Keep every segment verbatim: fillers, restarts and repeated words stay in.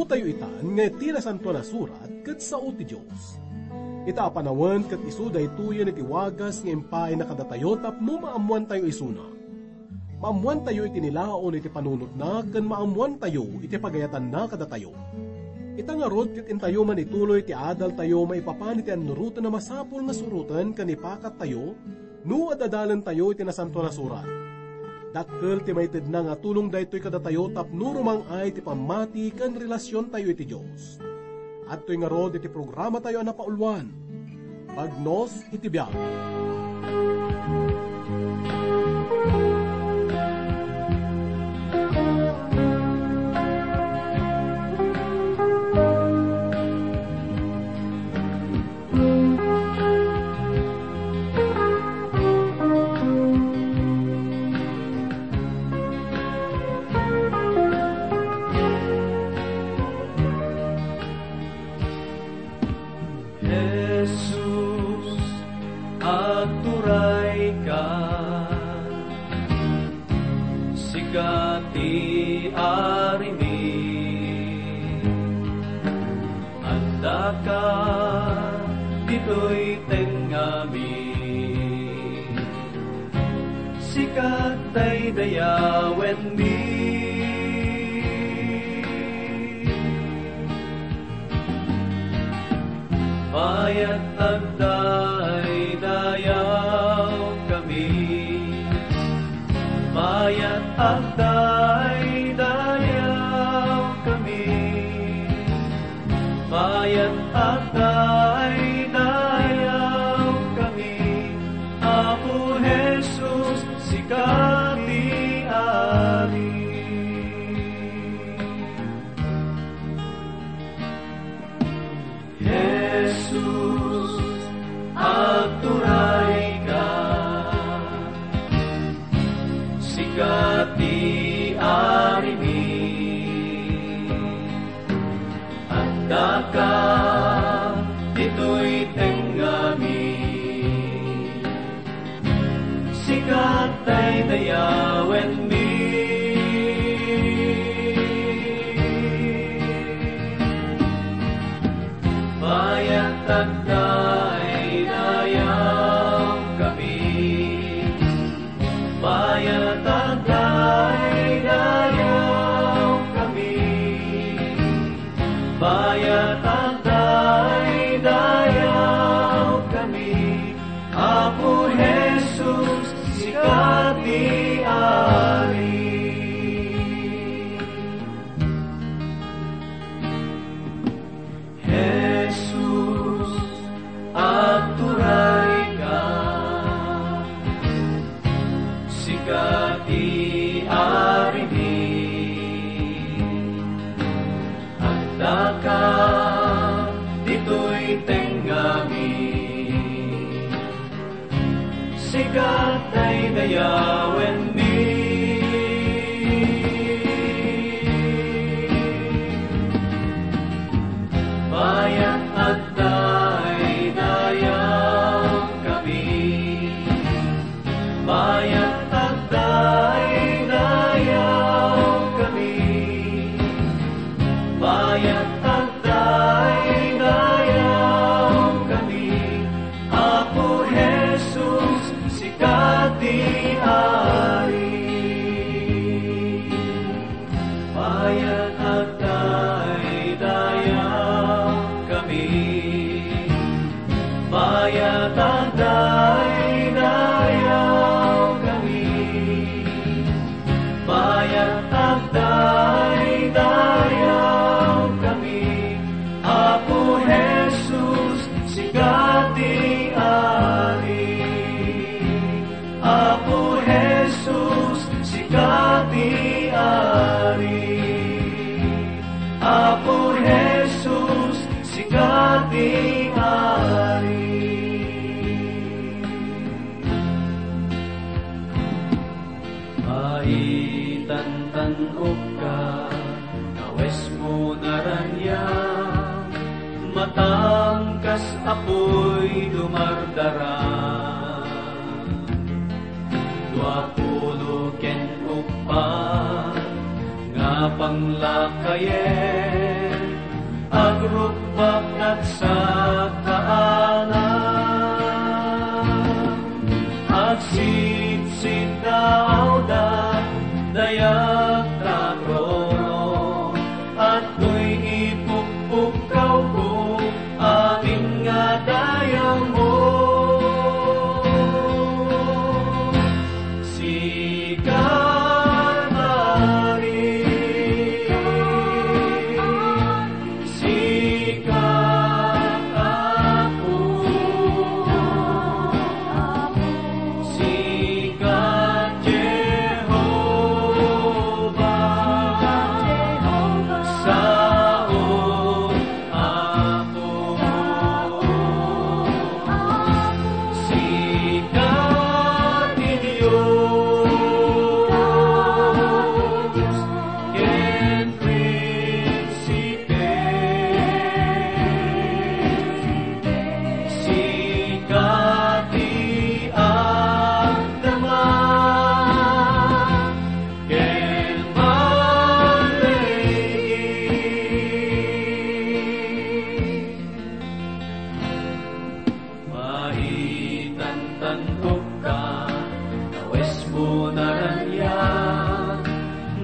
tayo itan nga iti Nasantoan a Surat ket sao ti Dios. Ita a panawen ket isu daytoyen iti wagas nga impaayna kadatayo tapno maammoantayo isuna. Maammoantayo iti nilaon iti panunotna ken maammoantayo iti pagayatanna kadatayo. Ita ngarud ket intayo man ituloy ti adaltayo maipapan iti annuroten a masapul nga suroten ken ipakattayo no ad-adalentayo iti Nasantoan a Surat. Dakkel ti maitedna nga tulong daytoy kadatayo tapno rumang-ay ti pammati ken relasiontayo iti Dios. Adtoy ngarud iti programatayo a napauluan, Bagnos iti Biag. Jesus, agturayka, sika ti Arimi. Addaka ditoy tengngami, sika daydayawenmi. Bayat agdaydayawkami. Bayat agdaydayawkami. Bayat agdaydayawkami. Apo Jesus, sika ti Ari. Jesus, agturayka, sika ti Arimi. Addaka ditoy tengngami, sika daydayawenmi. Bayat agdaydayawkami. Bayat agdaydayawkami. Bayat agdaydayawkami. Apo Jesus, sika ti Ari. Jesus, agturayka, sika ti Arimi. Addaka ditoy tengngami, sika daydayawenmi. Bayat agdaydayawkami. Bayat agdaydayawkami. Bayat agdaydayawkami. Apo Jesus, sika ti Ari. Bayat agdaydayawkami. Bayat agdaydayawkami. Bayat agdaydayawkami. Apo Jesus, sika ti Ari. Apo Jesus, sika ti Ari. Apo Jesus, sika ti Ari. Maitan tan-okka, kawesmo naraniag, matam kas apuy dumardara. Dua pulo ken uppat nga panglakayen, Rukbak ket sakaanak, agsidsitaawda dayag ta trono, adtoy ipukpukkawko amin nga dayawmo. Sika, Maria, sika, Apo, sika, Jehovah, sao Apo, sika ti Dios, ken Prinsipe, sika ti agdama, ken malay-in. Maitantantok ka, kawesmo naraniag,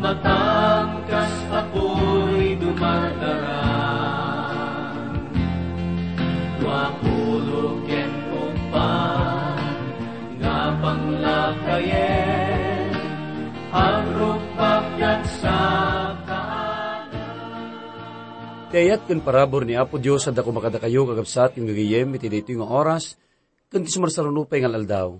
matam kas apuy dumardara. Dua pulo ken uppat nga panglakayen, agrukbak ket sakaanak. Ti ayat ken parabur ni Apo Dios adda koma kadakayo, kakabsat ken gagayyem, iti daytoy nga oras, ken ti sumarsaruno pay nga aldaw.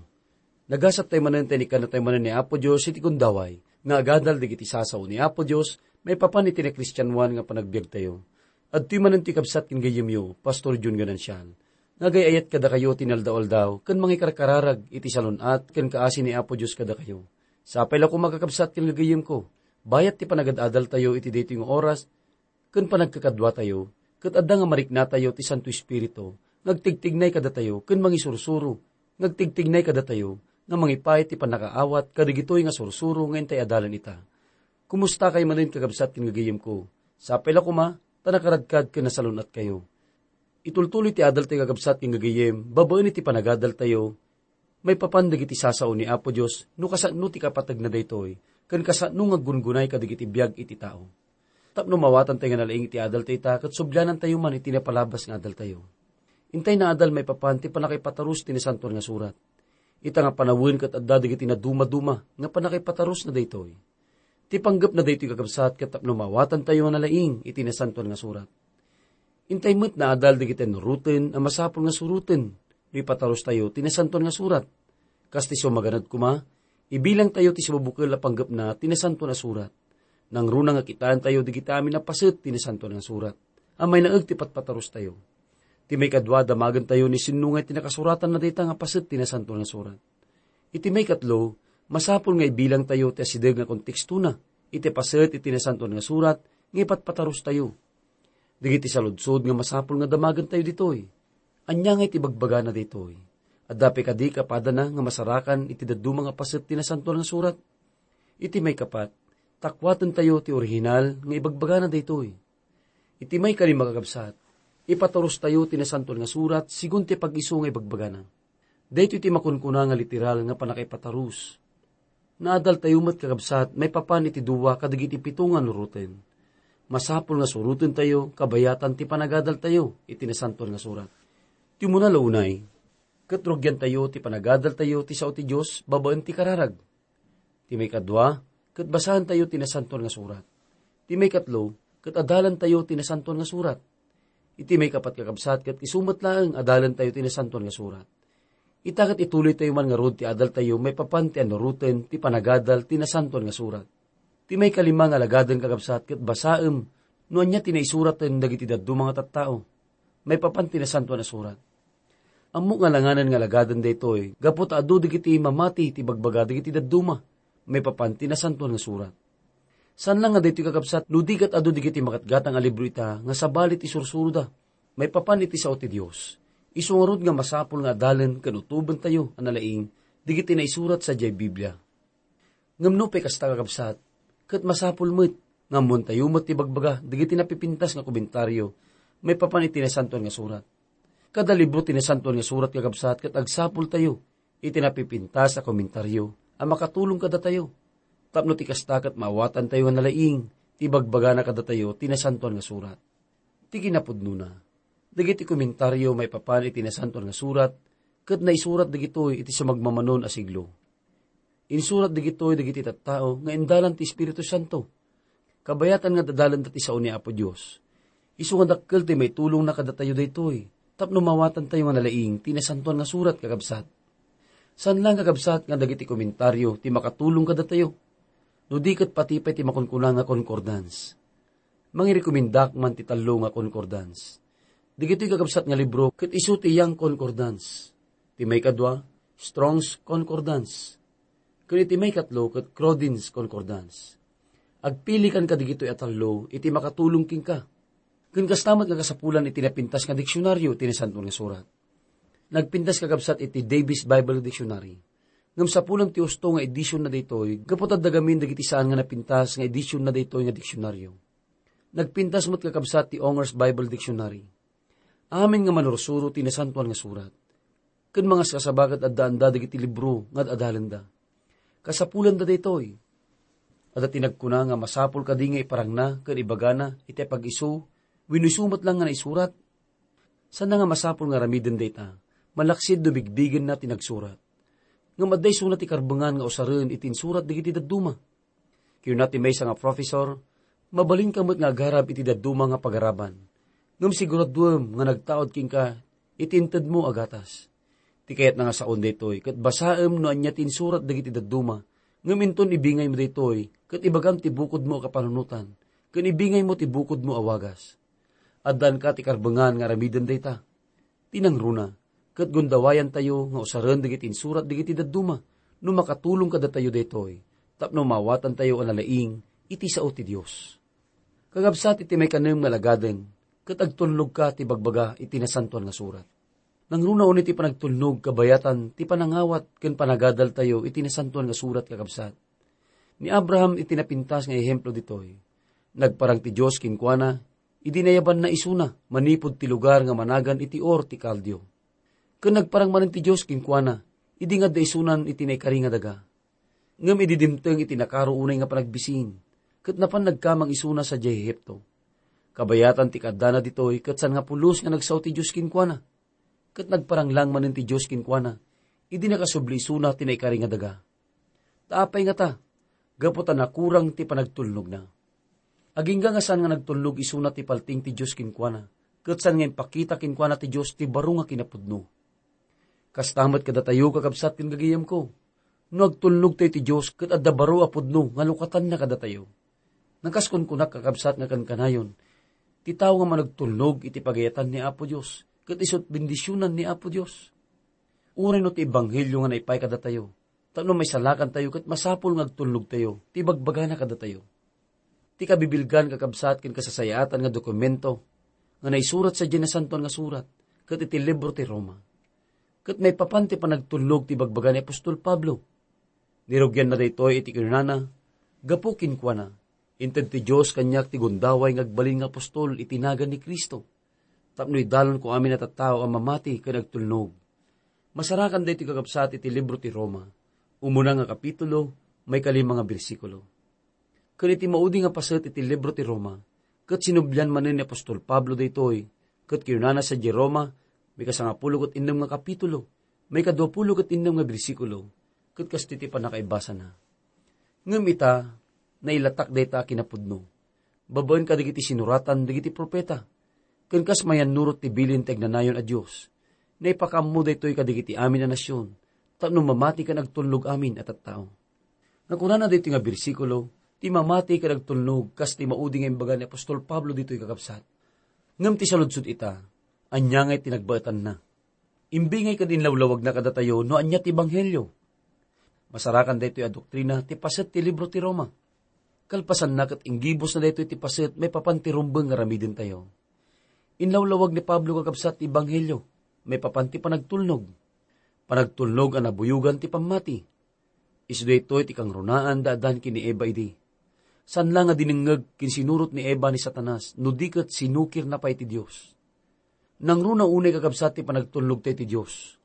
Nagasat tayo manen ta inikkanna tayo manen ni Apo Dios iti gundaway nga agadal dagiti sasao ni Apo Dios maipapan iti nakristianoan nga panagbiagtayo. Adtoy manen ti kabsat ken gayyemyo, Pastor Jun Ganancial, nga agay-ayat kadakayo ti inaldaw-aldaw ken mangikarkararag iti salun-at ken kaasi ni Apo Dios kadakayo. Sapay la koma, kakabsat ken gagayyemko, bayat ti panagad-adaltayo iti daytoy nga oras, ken panagkakaduatayo, ket adda nga mariknatayo ti Santo Espiritu nga agtigtignay kadatayo ken mangisursuro, nga agtigtignay kadatayo nga mangipay ti pannakaawat kadagitoy nga sursuro nga intay adalan ita. Kumustakay manen, kakabsat ken gagayyemko? Sapay la koma ta nakaradkad ken nasalun-atkayo. Itultuloy ti adaltayo, kakabsat ken gagayyem, babaen iti panagadaltayo maipapan dagiti sasao ni Apo Dios no kasano ti kapategna daytoy, ken kasano nga aggungunay kadagiti biag iti tao. Tapno maawatan tayo nga nalaing iti adaltayo ita, ket sublianantayo man iti napalabas nga adaltayo. Intay naadal maipapan ti pannakaipatarus ti Nasantoan nga Surat. Ita nga panawen ket adda dagiti nadumaduma nga pannakaipatarusna daytoy. Ti panggepna daytoy, kakabsat, ket tapno maawatantayo nga nalaing iti Nasantoan nga Surat. Intay met naadal dagiti annuroten a masapul nga suroten no ipatarustayo ti Nasantoan nga Surat. Kas ti sumaganad koma, ibilangtayo ti sibubukel a panggepna ti Nasantoan a Surat. Nangruna nga kitaentayo dagiti amin a paset ti Nasantoan nga Surat a mainaeg ti patpatarustayo. Ti maikadua, damagentayo ni sinno nga ti nakasuratanna dayta nga paset ti Nasantoan nga Surat. Iti maikatlo, masapul nga ibilangtayo ti asideg nga kontekstona iti paset iti Nasantoan nga Surat nga ipatpatarustayo. Dagiti saludsod nga masapul nga damagentayo ditoy. Ania nga iti bagbagana daytoy? Adda pay kadi kapadana nga masarakan iti dadduma nga paset ti Nasantoan nga Surat? Iti maikapat, takuatentayo ti orihinal nga ibagbagana daytoy. Iti maikalima, kakabsat, ipatarustayo ti Nasantoan nga Surat sigun ti pag-isu nga ibagbagana. Daytoy ti makunkuna nga literal nga pannakaipatarus. Naadaltayo met, kakabsat, maipapan iti dua kadagiti pito nga annuroten. Masapul nga surotentayo kabayatan ti panagadaltayo iti Nasantoan nga Surat. Ti umuna la unay, ket rugiantayo ti panagadaltayo ti sao ti Dios babaen ti kararag. Ti maikadua, ket basaentayo ti Nasantoan nga Surat. Ti maikatlo, ket adalantayo ti Nasantoan nga Surat. Iti maikapat, kakabsat, ket isu met laeng adalantayo ti Nasantoan nga Surat. Ita ket ituloytayo man ngarud ti adaltayo maipapan ti annuroten ti panagadal ti Nasantoan nga Surat. Ti maikalima nga alagaden, kakabsat, ket basaem no ania ti naisuraten dagiti dadduma nga tattao maipapan ti Nasantoan a Surat. Ammok nga alanganen nga alagaden daytoy gapu ta adu dagiti mamati ti ibagbaga dagiti dadduma maipapan ti Nasantoan nga Surat. Saan la nga daytoy, kakabsat, no di ket adu dagiti magatgatang a libro ita nga sabali ti sursuroda maipapan iti sao ti Dios. Isu ngarud nga masapul nga adalen ken utobentayo a nalaing dagiti naisurat sadiay Biblia. Ngem nupay kasta, kakabsat, ket masapul met nga ammoentayo met ti ibagbaga dagiti napipintas nga komentario maipapan iti Nasantoan nga Surat. Kada libro ti Nasantoan nga Surat, kakabsat, ket agsapultayo iti napipintas a komentario a makatulong kadatayo, tapno ti kasta ket maawatantayo nga nalaing ti bagbagana kadatayo ti Nasantoan nga Surat. Ti kinapudnona, dagiti komentario maipapan iti Nasantoan nga Surat ket naisurat dagitoy iti sumagmamanon a siglo. Insurat dagitoy dagiti tattao nga indalan ti Espiritu Santo. Kabayatan nga dadalenda ti sao ni Apo Dios. Isu nga dakkel ti maitulongna kadatayo daytoy, tapno maawatantayo nga nalaing ti Nasantoan nga Surat, kakabsat. Saan laeng, kakabsat, nga dagiti komentario ti makatulong kadatayo, no di ket pati pay ti makunkuna nga concordance. Mangirekomendaak man ti tallo nga concordance. Dagitoy, kakabsat, nga libro ket isu ti Young Concordance. Ti maikadua, Strong's Concordance. Ken iti maikatlo ket Crodin's Concordance. Agpilikan kadagitoy a tallo iti makatulong kenka. Ken kasta met nga kasapulan iti napintas nga diksionaryo iti Nasantoan nga Surat. Nagpintas, kakabsat, iti Davis Bible Dictionary. Ngem sapulan ti usto nga edisionna daytoy, gapu ta adda gamin dagiti saan nga napintas nga edisionna daytoy nga diksionaryo. Nagpintas met, kakabsat, ti Ongers Bible Dictionary. Amin nga manursuro ti Nasantoan nga Surat. Ken mangaskasaba ket addaanda dagiti libro nga ad-adalenda. Kasapulanda daytoy. Adda ti nagkuna nga masapul kadi nga iparangna ken ibagana iti pag-isu wenno isu met laeng nga naisurat. Saan nga masapul nga aramiden dayta, malaksid no bigbigenna ti nagsurat. Ngem adda isuna ti karbengan nga usaren iti insurat dagiti dadduma. Kinuna ti maysa nga professor, "Mabalinka met nga agarab iti dadduma nga pagaraban, ngem siguraduem nga nagtaud kenka iti intedmo a gatas." Ti kayatna nga saon daytoy, ket basaem no ania ti insurat dagiti dadduma, ngem inton ibingaymo daytoy, ket ibagam ti bukodmo a kapanunotan, ken ibingaymo ti bukodmo a wagas. Addanka ti karbengan nga aramiden dayta. Ti nangruna, ket gundawayantayo nga usaren dagiti insurat dagiti dadduma no makatulong kadatayo daytoy, tapno maawatantayo a nalaing iti sao ti Dios. Kakabsat, iti maikanem nga alagaden, ket agtulnogka ti bagbaga iti Nasantoan nga Surat. Nangruna unay ti panagtulnog kabayatan ti panangawat ken panagadaltayo iti Nasantoan nga Surat, kakabsat. Ni Abraham iti napintas nga ehemplo ditoy. Nagparang ti Dios kenkuana, idi nayabanna isuna manipud ti lugar nga managan iti Ur ti Kaldio. Ken nagparang manen ti Dios kenkuana, idi nga adda isunan iti naikari nga daga. Ngem idi dimteng iti nakaro unay nga panagbisin, ket napan nagkamang isuna sadiay Egipto. Kabayatan ti kaaddana ditoy ket saan nga pulos nga nagsao ti Dios kenkuana. Ket nagparang lang manen ti Dios kenkuana, idi nakasubli isuna ti naikari nga daga. Ta apay ngata? Gapu ta nakurang ti panagtulnogna. Agingga nga saan nga nagtulnog isuna ti paltiing ti Dios kenkuana, ket saan nga impakita kenkuana ti Dios ti baro nga kinapudno. Kasta met kadatayo, kakabsat ken gagayemko. No agtulnogtayo ti Dios ket adda baro a pudno nga lukatanna kadatayo. Nakas kunkunak, kakabsat, nga kankanayon, ti tao nga managtulnog iti pagayatan ni Apo Dios, ket isut' bendisionan ni Apo Dios. Uray no ti ebanghelio nga naipay kadatayo, tapno maisalakantayo ket masapul nga agtulnogtayo ti bagbagana kadatayo. Ti kabibilgan, kakabsat, ken kasasayaatan nga dokumento nga naisurat sadiay Nasantoan nga Surat ket iti libro ti Roma. Ket maipapan ti panagtulnog ti bagbaga ni apostol Pablo. Nirugianna daytoy iti kinunana, gapu kenkuana, inted ti Dios kaniak ti gundaway nga agbalin nga apostol iti nagan ni Cristo, tapno idalonko amin a tattao a mamati ken agtulnog. Masarakan daytoy, kakabsat, iti libro ti Roma, umuna nga kapitulo, maikalima nga bersikulo. Ken iti maudi nga paset iti libro ti Roma, ket sinublian manen ni apostol Pablo daytoy, ket kinunana sadiay Roma, maikasangapulo ket innem nga kapitulo, maikaduapulo ket innem nga bersikulo, ket kastoy ti pannakaibasana. Ngem ita, nailatak dayta a kinapudno, babaen kadagiti sinuratan dagiti profeta, ken kas mayannurot ti bilin ti agnanayon a Dios, naipakaammo daytoy kadagiti amin a nasion, tapno mamati ken agtulnog amin a tattao. Nakunana daytoy nga bersikulo, ti mamati ken agtulnog kas ti maudi nga imbaga ni apostol Pablo ditoy, kakabsat. Ngem ti saludsod ita, ania ngay ti nagbaetanna? Imbingay ken inlawlawagna kadatayo no ania ti ebanghelio. Masarakan daytoy a doktrina ti paset ti libro ti Roma. Kalpasanna ket inggibusna daytoy ti paset maipapan ti rumbeng nga aramidentayo. Inlawlawag ni Pablo, kakabsat, ti ebanghelio maipapan ti panagtulnog. Panagtulnog a nabuyogan ti pammati. Isu daytoy ti kangrunaan da Adan ken ni Eva idi. Saan la nga dinengngeg ken sinurot ni Eva ni Satanas, no di ket sinukirna pay ti Dios. Nangruna unay, kakabsat, ti panagtulnog tayo ti Dios.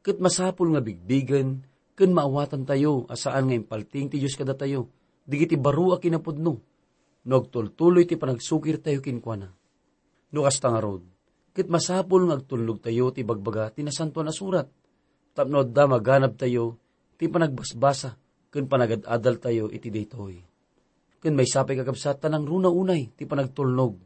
Ket masapul nga bigbigen ken maawatantayo a saan nga impaltiing ti Dios kadatayo dagiti baro a kinapudno no agtultuloy ti panagsukirtayo kenkuana. No kasta ngarud, ket masapul nga agtulnogtayo ti bagbaga ti Nasantoan a Surat tapno adda maganabtayo ti panagbasbasa ken panagad-adaltayo iti daytoy. Ken maysa pay, kakabsat, ta nangruna unay ti panagtulnog,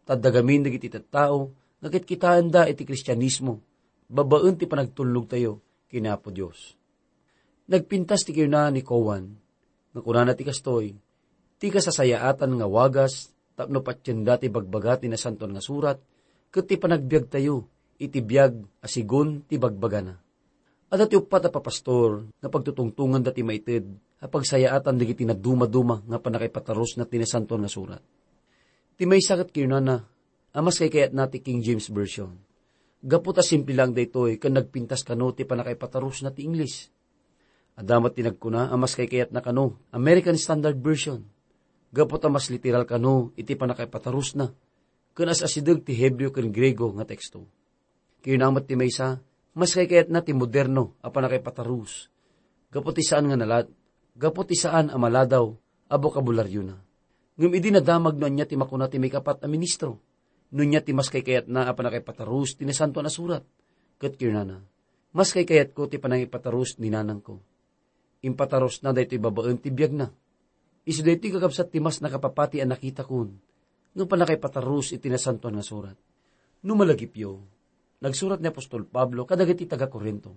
ta adda gamin dagiti tattao nga kitkitaenda iti Kristianismo babaen ti panagtulnogtayo ken Apo Dios. Nagpintas ti kinuna ni Cowan nga kunana ti kastoy, ti kasasayaatan nga wagas tapno patienda ti bagbaga ti Nasantoan nga Surat ket ti panagbiagtayo iti biag a sigun ti bagbagana. Adda ti uppat a papastor nga pagtutungtonganda ti maited a pagsayaatan dagiti nadumaduma nga pannakaipatarusna ti Nasantoan nga Surat. Ti maysa ket kinunana a mas kaykayatna ti King James Version, gapu ta simple laeng daytoy ken nagpintas kano ti pannakaipatarusna ti Ingles. Adda met ti nagkuna a mas kaykayatna kano American Standard Version, gapu ta mas literal kano iti pannakaipatarusna ken as-asideg ti Hebreo ken Griego nga teksto. Kinuna met ti maysa, mas kaykayatna ti moderno a pannakaipatarus, gapu ti saan nga nalad-, gapu ti saan a maladaw a bokabularyo na. Ngem idi nadamag no ania ti makuna ti maikapat a ministro, no ania ti mas kaykayatna a pannakaipatarus ti Nasantoan a Surat, ket kinunana, mas kaykayatko ti pannakaipatarus ni nanangko. Impatarusna daytoy babaen ti biagna. Isu daytoy, kakabsat, ti mas nakapapati a nakitakon nga pannakaipatarus iti Nasantoan nga Surat. No malagipyo, nagsurat ni apostol Pablo kadagiti taga-Corinto.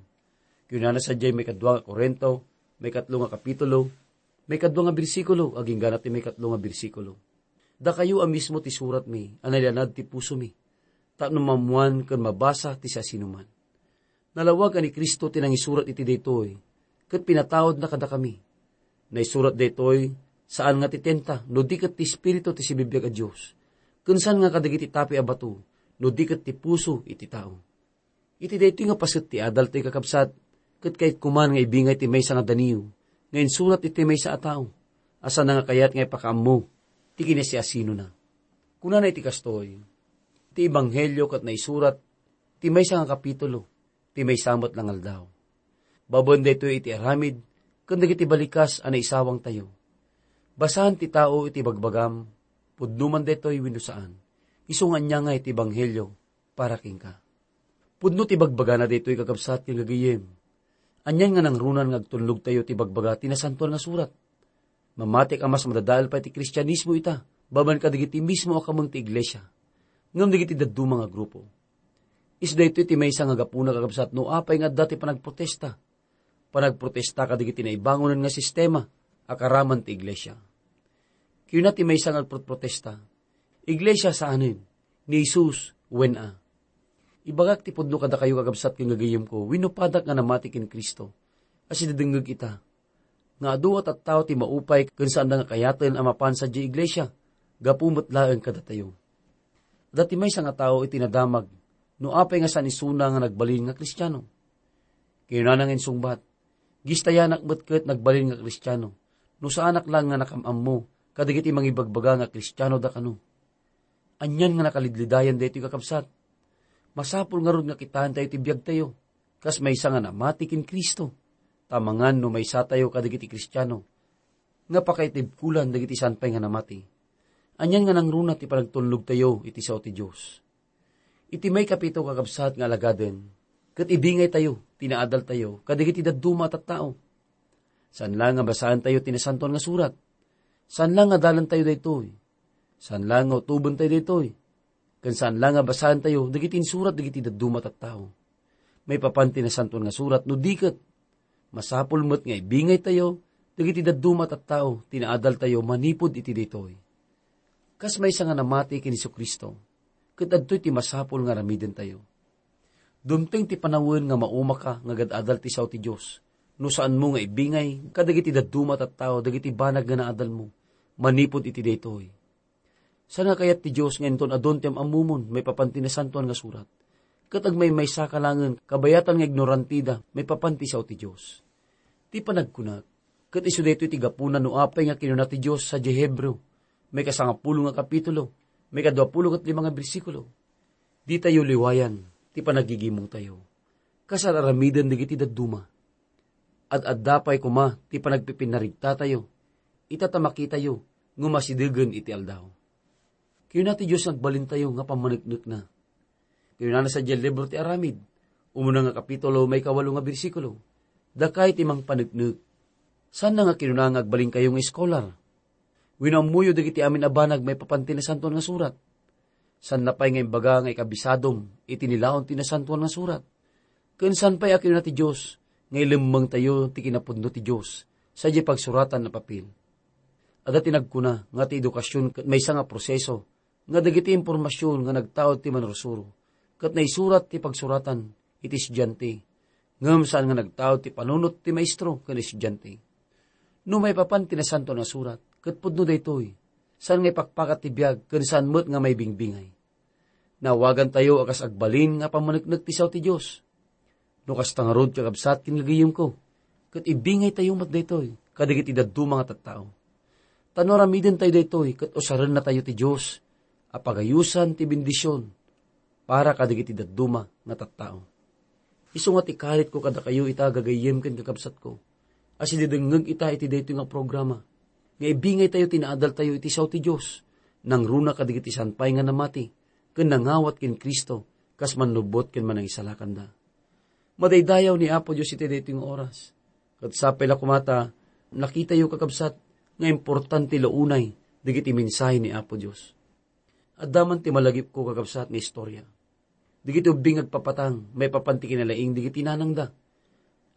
Kinunana sadiay maikadua nga Corinto, maikatlo nga kapitulo, maikadua nga bersikulo, agingga ti maikatlo nga bersikulo, "Dakayo a mismo ti suratmi a nailanad ti pusomi, tapno maammoan ken mabasa ti siasinoman. Nalawag a ni Cristo ti nangisurat iti daytoy, ket pinataudna kadakami. Naisurat daytoy, saan nga ti tinta, no di ket ti Espiritu ti sibibiag a Dios, ken saan nga kadagiti tapi a bato, no di ket ti puso iti tao." Iti daytoy nga paset ti adaltoy, kakabsat, ket kayatko man nga ibingay ti maysa nga daniw nga insurat iti maysa a tao a saan nga kayat nga ipakaammo ti kinasiasinona. Kunana iti kastoy, ti ebanghelio ket naisurat ti maysa nga kapitulo, ti maysa met nga aldaw. Babaen daytoy iti aramid ken dagiti balikas a naisawangtayo. Basaen ti tao iti bagbagam, pudno man daytoy wenno saan, isu nga ania nga iti ebanghelio para kenka. Pudno ti bagbagana daytoy, kakabsat ken gagayyem. Anian nga nangrunan nga agtulnogtayo ti bagbaga ti Nasantoan nga Surat? Mamatik a mas madadael pay ti Kristianismo ita, babaen kadagiti mismo a kameng ti iglesia, ngem dagiti dadduma nga grupo. Isu daytoy ti maysa nga gapuna, kakabsat, no apay nga adda ti panagprotesta. Panagprotesta kadagiti naibangonan nga sistema a karaman ti iglesia. Kuna ti maysa nga agprotprotesta, "Iglesia saanen, ni Jesus wen a." Ibagak ti pudno kadakayo, kakabsat ken gagayyemko, wenno padak nga namati ken Cristo, a sidadengngeg ita, nga adu a tattao ti maupay ken saanda nga kayaten a mapan sadiay iglesia, gapu met laeng kadatayo. Adda ti maysa nga tao iti nadamag no apay nga saan isuna nga nagbalin nga Kristiano. Kinunana nga insungbat, "Gistayanak met ket nagbalin nga Kristiano, no saanak laeng nga nakam-ammo kadagiti mangibagbaga nga Kristiano da kano." Anian nga nakalidlidayan daytoy, kakabsat! Masapul ngarud nga kitaentayo ti biagtayo kas maysa nga namati ken Cristo, ta amangan no maysatayo kadagiti Kristiano nga pakaitibkolan dagiti saan pay nga namati. Anian nga nangruna ti panagtulnogtayo iti sao ti Dios? Iti maikapito, kakabsat, nga alagaden, ket ibingaytayo ti naadaltayo kadagiti dadduma a tattao. Saan la nga basaentayo ti Nasantoan nga Surat. Saan la nga adalantayo daytoy. Saan la nga utobentayo daytoy. Ken saan la nga basaentayo dagiti insurat dagiti dadduma a tattao. Maipapan ti Nasantoan nga Surat no di ket masapul met nga ibingaytayo dagiti dadduma a tattao ti naadaltayo manipud iti daytoy. Kas maysa nga namati ken Jesu-Cristo, ket adtoy ti masapul nga aramidentayo. Dumteng ti panawen nga maumaka nga agad-adal ti sao ti Dios no saanmo nga ibingay kadagiti dadduma a tattao dagiti banag nga naadalmo manipud iti daytoy. Saan nga kayat ti Dios nga inton adun ti am-ammomon maipapan ti Nasantoan nga Surat, ket agmaymaysaka laengen kabayatan nga ignoranteda maipapan ti sao ti Dios? Ti panagkunak, ket isu daytoy ti gapuna no apay nga kinuna ti Dios sadiay Hebreo, maikasangapulo nga kapitulo, maikaduapulo ket lima nga bersikulo, Ditayo liwayan ti panagigimongtayo. Kas ar-aramiden dagiti dadduma. Ad-adda pay koma ti panagpipinnarigtatayo, ita ta makitayo nga masidegen iti aldaw. Kinuna ti Dios nga agbalintayo nga pammaneknekna. Kinunana sadiay libro ti Aramid, umuna nga kapitulo, maikawalo nga bersikulo, "Dakay ti mangpaneknek." Saanna nga kinuna nga agbalinkayo nga eskolar wenno ammoyo dagiti amin a banag maipapan ti Nasantoan nga Surat. Saanna pay nga imbaga nga ikabisadom iti nilaon ti Nasantoan nga Surat. Ken saan pay a kinuna ti Dios nga ilemmengtayo ti kinapudno ti Dios sadiay pagsuratan a papel. Adda ti nagkuna nga ti edukasion ket maysa nga proseso nga dagiti impormasion nga nagtaud ti mannursuro ket naisurat ti pagsuratan iti estudiante, ngem saan nga nagtaud ti panunot ti maestro ken estudiante. No maipapan ti Nasantoan nga Surat, ket pudno daytoy, saan nga ipakpakat ti biag ken saan met nga maibingbingay. Naawagantayo a kas agbalin nga pammaneknek ti sao ti Dios. No kasta ngarud, kakabsat ken gagayemko, ket ibingaytayo met daytoy kadagiti dadduma nga tattao. Ta no aramidentayo daytoy, ket usarennatayo ti Dios a pagayosan ti bendision para kadagiti dadduma nga tattao. Isu nga ti karitko kadakayo ita, gagayyem ken kakabsatko, a sididengngeg ita iti daytoy nga programa, nga ibingaytayo ti naadaltayo iti sao ti Dios, nangruna kadagiti saan pay nga namati ken nangawat ken Cristo kas mannubbot ken manangisalakanda. Madaydayaw ni Apo Dios iti daytoy nga oras. Ket sapay la koma ta nakitayo, kakabsat, nga importante la unay dagiti mensahe ni Apo Dios. Adda man ti malagipko, kakabsat, nga istorya. Dagiti ubbing nga agpapatang maipapan ti kinalaing dagiti nanangda.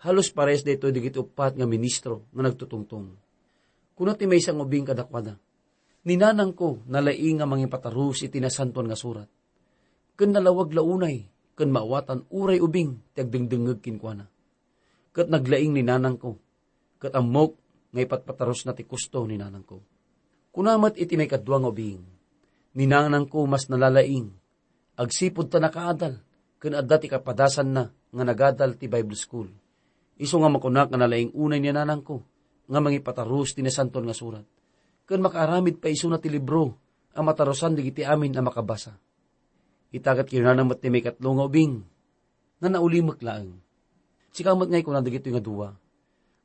Halos pares daytoy dagiti uppat nga ministro nga nagtutungtong. Kuna ti maysa nga ubbing kadakuada, "Ni nanangko nalaing nga mangipatarus iti Nasantoan nga Surat, ken nalawag la unay ken maawatan uray ubing ti agdengdengngeg kenkuana. Ket naglaing ni nanangko, ket ammok nga ipatpatarusna ti kusto ni nanangko." Kuna met iti maikadua nga ubing, "Ni nanangko mas nalalaing, agsipud ta nakaadal, ken adda ti kapadasanna nga nagadal ti Bible School. Isu nga makunak nga nalaing unay ni nanangko nga mangipatarus ti Nasantoan nga Surat, ken makaaramid pay isuna ti libro a matarusan dagiti amin a makabasa." Ita ket kinunana met ti maikatlo nga ubing, nga naulimek laeng. Sika met ngay, kuna dagitoy nga dua.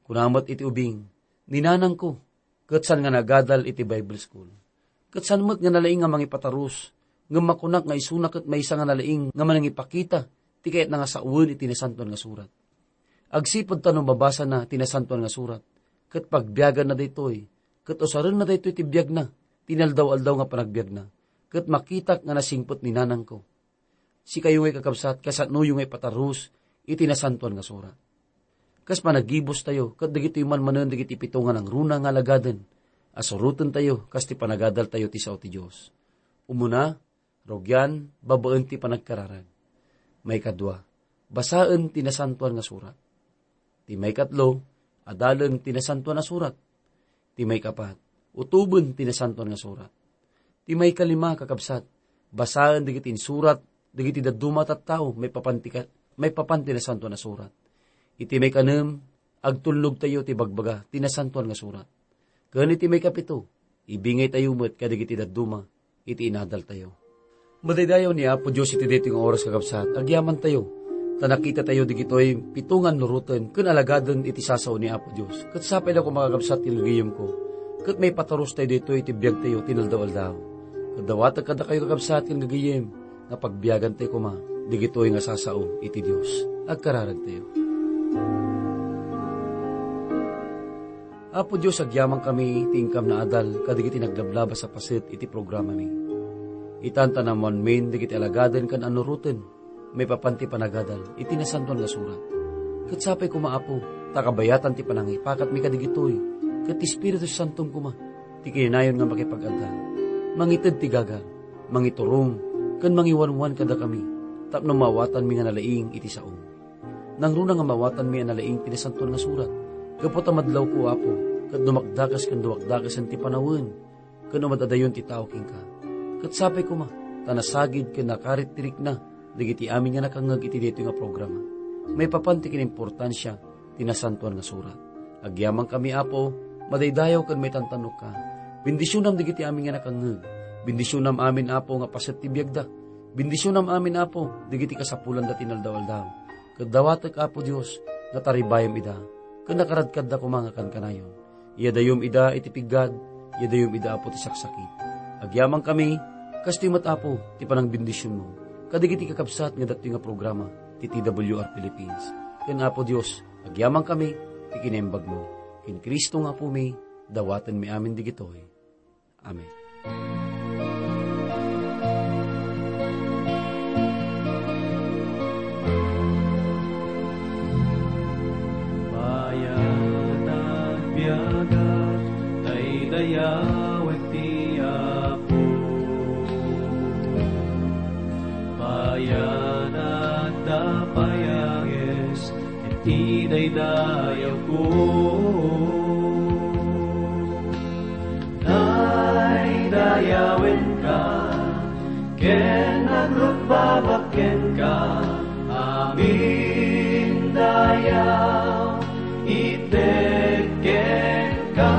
Kuna met iti ubing, "Ni nanangko, ket saan nga nagadal iti Bible School. Ket saan met nga nalaing nga mangipatarus, ngem makunak nga isuna ket maysa nga nalaing nga manangipakita ti kayatna nga sawen iti Nasantoan nga Surat. Agsipud ta no mabasana ti Nasantoan nga Surat, ket pagbiaganna daytoy, ket usarenna daytoy ti biagna, ti inaldaw-aldaw nga panagbiagna, ket makitak nga nasingpet ni nanangko." Sikayo ngay, kakabsat, kasanoyo nga ipatarus iti Nasantoan nga Surat. Kas panaggibustayo, ket dagitoy man manen dagiti pito nga nangruna nga alagaden a surotentayo kas ti panagadaltayo ti sao ti Dios. Umuna, rugian babaen ti panagkararag. Maikadua, basaen ti Nasantoan nga Surat. Ti maikatlo, adalen ti Nasantoan a Surat. Ti maikapat, utoben ti Nasantoan nga Surat. Ti maikalima, kakabsat, basaen dagiti insurat dagiti dadduma a tattao maipapan ti ka-, maipapan ti Nasantoan a Surat. Iti maikanem, agtulnogtayo ti bagbaga ti Nasantoan nga Surat. Ken iti maikapito, ibingaytayo met kadagiti dadduma iti inadaltayo. Madaydayaw ni Apo Dios iti daytoy nga oras, kakabsat, agyamantayo, ta nakitatayo dagitoy pito nga annuroten ken alagaden iti sasao ni Apo Dios. Ket sapay la koma, kakabsat, ken gagayemko, ket maipatarustayo daytoy iti biagtayo ti inaldaw-aldaw. Ket dawatek kadakayo, kakabsat ken gagayem, nga pagbiagantayo koma dagitoy nga sasao iti Dios. Agkararagtayo. Apo Dios, agyamankami ti inkam naadal kadagiti naglablabas a paset iti programami. Itan ta naammoanmin dagiti alagaden ken annuroten maipapan ti panagadal iti Nasantoan nga Surat. Ket sapay koma, Apo, ta kabayatan ti panangipakatmi kadagitoy, ket ti Espiritu Santom koma ti kinanayon nga makipag-adda, mangited ti gagar, mangiturong, ken mangiwanwan kadakami tapno maawatanmi nga nalaing iti saom. Nangruna nga maawatanmi a nalaing ti Nasantoan nga Surat, gapu ta madlawko, Apo, ket dumakdakes ken dumakdakesen ti panawen ken umad-adayon ti tao kenka. Ket sapay koma, ta nasagid ken nakarit ti rikna dagiti amin nga nakangngeg iti daytoy nga programa maipapan ti kinimportansia ti Nasantoan nga Surat. Agyamankami, Apo, madaydayaw ken maitantanokka. Bendisionam dagiti amin nga nakangngeg. Bendisionam amin, Apo, nga paset ti biagda. Bendisionam amin, Apo, dagiti kasapulanda ti inaldaw-aldaw. Ket dawatek, Apo Dios, nga taribayem ida, ken nakaradkadda koma nga kankanayon. Iyadayom ida iti piggad, iyadayom ida, Apo, ti saksakit. Agyamankami, kastoy met, Apo, ti panangbendisionmo kadagiti kakabsat nga datoy nga programa ti T W R Philippines. Ken, Apo Dios, agyamankami ti kinaimbagmo. Ken Cristo nga Apomi, dawatenmi amin digitoy. Amen. Bayat agbiagak, daydayawek ti Apo. Bayat agdapayangis, iti daydayawko. Daydayawenka ken agrukbabak kenka, amin dayaw ited kenka.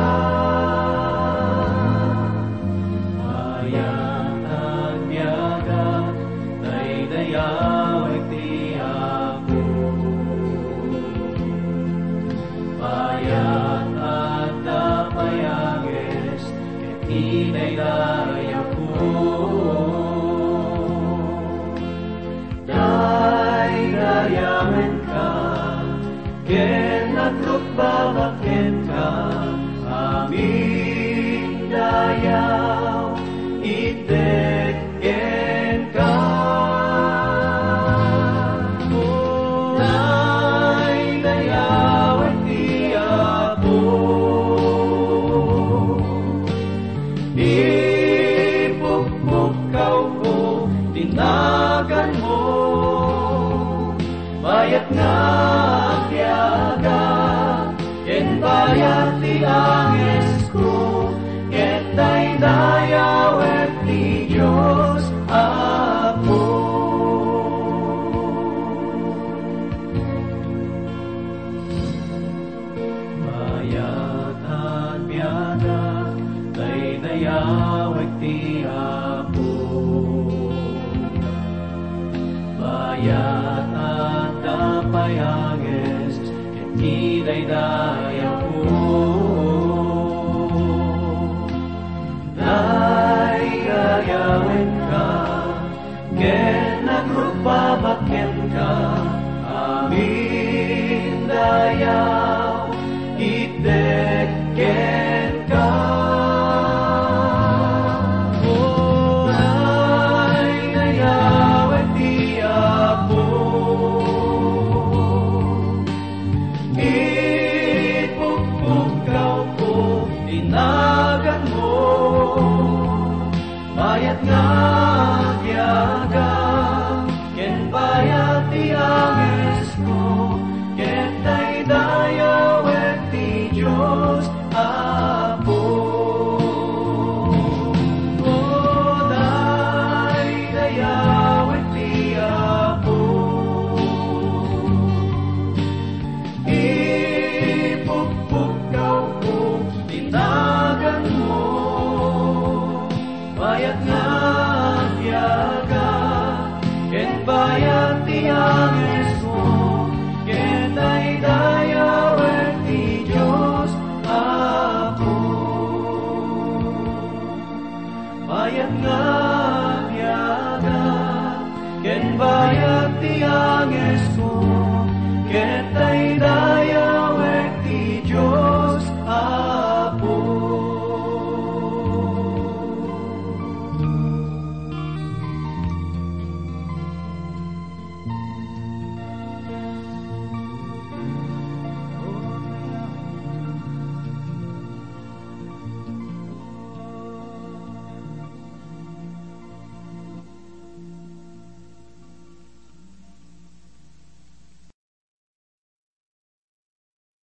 Mayat agbiagak, daydayawek ti Apo. Mayat agdapayangis, ket idaydayawko. Daydayawenka, ken agrukbabak kenka, amin dayaw, ited kenka. Daydayawek ti Apo. Ipukpukkawko ti naganmo. Bayat nga agbiagak, ken bayat ti angesko, ket daydayawek ti Dios Apo. Mayat agbiagak, daydayawek ti Apo. Mayat agdapayangis, ket idaydayawko. Daydayawenka, ken agrukbabak kenka, amin dayaw, ited kenka. O, daydayawek ti Apo. Ipukpukkawko ti naganmo. Bayat nga agyaga, ken bayat ti angesko, ket daydayawek ti Dios